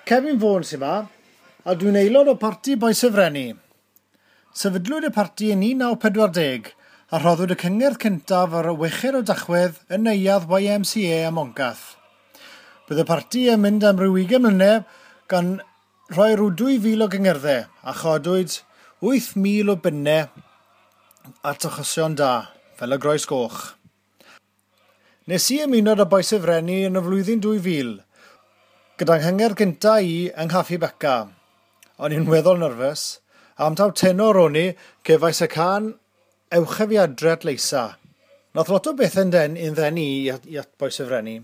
Kevin Vaughan sy'n ma, a dwi'n aelod o Parti Bois y Frenni. Sefydlwyd y parti yn 1940 a rhoddwyd y cyngerdd cyntaf ar y 6 o Dachwedd yn neuadd YMCA ym Moncath. Bydd y parti yn mynd am ryw 20 mlynedd gan rhoi rhyw 2,000 o gyngerddau a chodwyd 8,000 o bunnau at achosion da, fel y Groes Goch. Nes i ymuno â Bois y Frenni yn y flwyddyn 2000, gyda'n nghyngerdd gynta i yng Nghaffi Beca. O'n i'n weddol nerfus, a am taw tenor o'n i, cefais y cân Ewch â fi adre at Leisa. Nath lot o bethau'n den i'n ddenu i at, i at Bois y Frenni.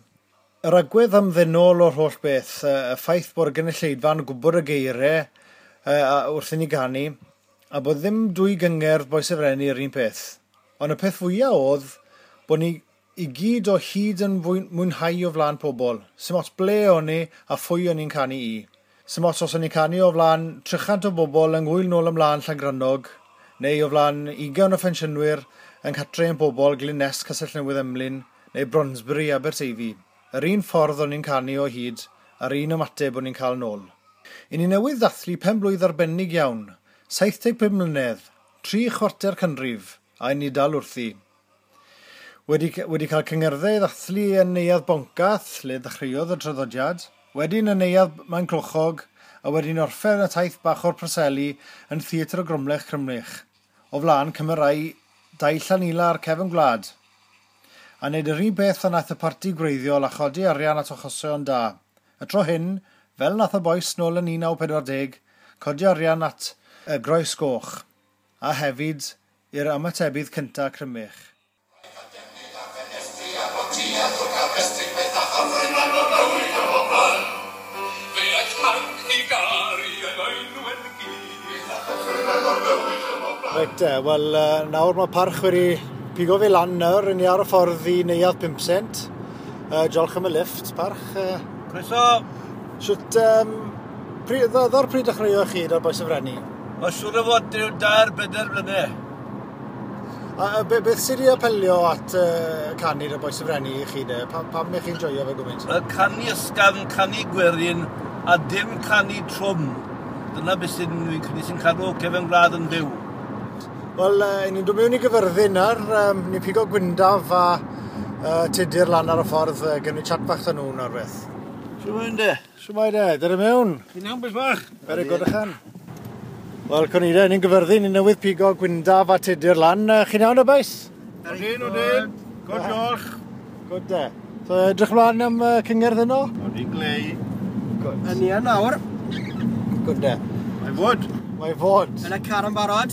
Yr agwedd ymddennol o'r holl beth, y ffaith bod y gynulleidfa'n gwybod y geiriau wrth i ni ganu, a bod ddim dwy gyngerdd Bois y Frenni yr un peth. Ond y peth fwyaf oedd bod ni i gyd o hyd yn mwynhau o flaen pobl. Sim ots ble o'n ni a phwy o'n ni'n canu i. Sim ots os o'n ni'n canu o flaen 300 o bobl yng Ngŵyl Nôl Ymlaen Llangrannog, neu o flaen 20 o phensiynwyr yng Nghatre ein Pobl, Glyn Nest, Castell Newydd Emlyn, neu Bronsbury, Aberteifi. Yr un ffordd o'n ni'n canu o hyd, a'r un ymateb o'n ni'n cael nôl. I ni newydd ddathlu pen blwydd arbennig iawn, 75 mlynedd, 3/4 canrif, a i ni dal wrthi. Wedi, wedi cael cyngerddau i ddathlu yn Neuadd Boncath, lle ddechreuodd y traddodiad, wedyn yn Neuadd Maenclochog, a wedyn orffen y taith bach o'r Preseli yn Theatr y Gromlech Crymlich, o flaen cymerau dau Llanila a'r cefn gwlad. A wneud yr un beth a nath y parti gwreiddiol a chodi arian at achosion da. Y tro hyn, fel nath y bois nôl yn 1940, codi arian at y Groes Goch, a hefyd i'r ymatebydd cyntaf Crymych. Reit te, wel nawr mae Parch wedi pigo fi lan nawr, ry'n ni ar y ffordd i Neuadd 5 Cent. Diolch am y lift, Parch. Croeso! Shwt, pryd, ddo'r pryd dechreuoch chi da'r Bois y Frenni? Mae siŵr o fod rhyw 3-4 mlynedd. A beth sydd wedi apelio at canu da'r Bois y Frenni i chi de? Pam ych chi'n joio fe gymaint? Y canu ysgafn, canu gwerin, a dim canu trwm. Dyna beth sy'n fi'n credu sy'n cadw cefn gwlad yn fyw. Wel, ni'n dod mewn i Gyfyrddin nawr, ni'n pigo Gwyndaf a Tudur lan ar y ffordd, gewn ni chat bach 'da nhw nawr beth. Shwmae de? Shwmae de, dyr i mewn. Chi'n iawn, beth bach? Very good, ychan. Wel, Conida, ni'n Gyfyrddin, ni'n newydd pigo Gwyndaf a Tudur lan. Chi'n iawn y bois? Odyn, odyn. Good, diolch. Good de. So, edrych mlaen am cyngerdd yno? Odyn, glei. Good. Yn ni yn nawr. Good de. Mae fod. Mae fod. Yn y car yn barod.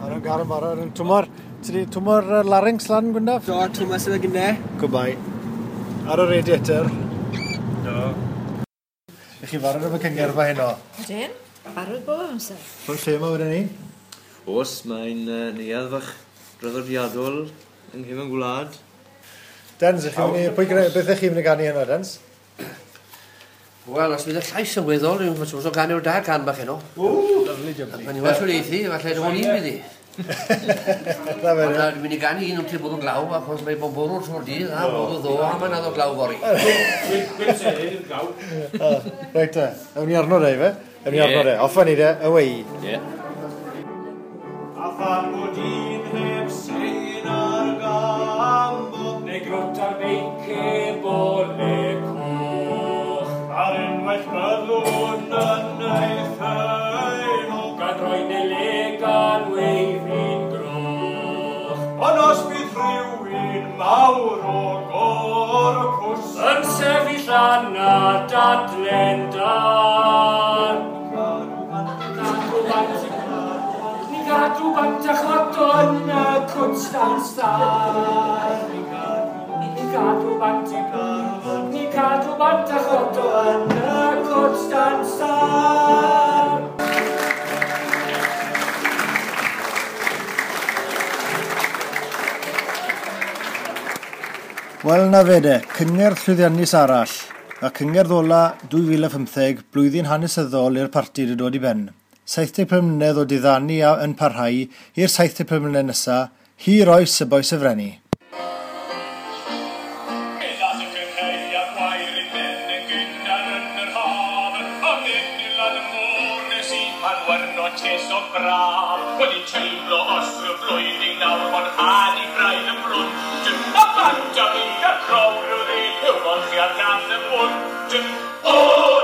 Ar y gar yn barod. Yn twmor, ti di twmor larynx lan, Gwyndaf? Do, twmor sydd yn gynne. Goodbye. Ar y radiator. Do. Ych chi barod am y cyngerdd ma heno? Ydyn, barod bob amser. O'r lle yma wedyn ni? Oes, mae'n neuadd fach draddodiadol yng nghefn gwlad. Dens, ych chi'n mynd i, pwy gre, beth ych chi'n mynd i ganu heno, Dens? Wel, os bydd y llais yn weddol, dwi'n fawr o ganu o'r da can bach heno. Lovely jubbly. Mae'n well o'r eithi, falle dwi'n un bydd i. Na fe, Ond dwi'n mynd i ganu un wrth i bod yn glaw, achos mae bod bwrw trwy'r dydd, a bod o ddo, a mae'n addo glaw fory. Reit te, ewn ni arno de, fe? Ewn ni arno de, off ni de, away. Ie. A phan bod un heb sein ar gambo, neu grwt ar beic ebole coch. Ar unwaith byddwn yn ei theimlo, gan roi neu gan weiddi'n groch. Ond os bydd rhywun mawr o gorpws yn sefyll lan a dadlen dan, ni gadw bant a chwato yn y cwts dan star. Ni gadw bant, ni gadw bant a chwato yn y cwts dan star. Wel, na fe de, cyngerdd llwyddiannus arall, a cyngerdd ola 2015, blwyddyn hanesyddol i'r parti wedi dod i ben. 75 mlynedd o diddanu yn parhau i'r 75 mlynedd nesaf, hir oes y Bois y Frenni. Meddal y cynheuaf gwair i ben yn gynnar yn yr haf, a mynd pan wyrno tes o braf. Wedi teimlo os y flwyddyn nawr bod had i braidd yn brwnt. A bant a fi a crow rhyw ddi, yw molchi ar nath y bwnt. O!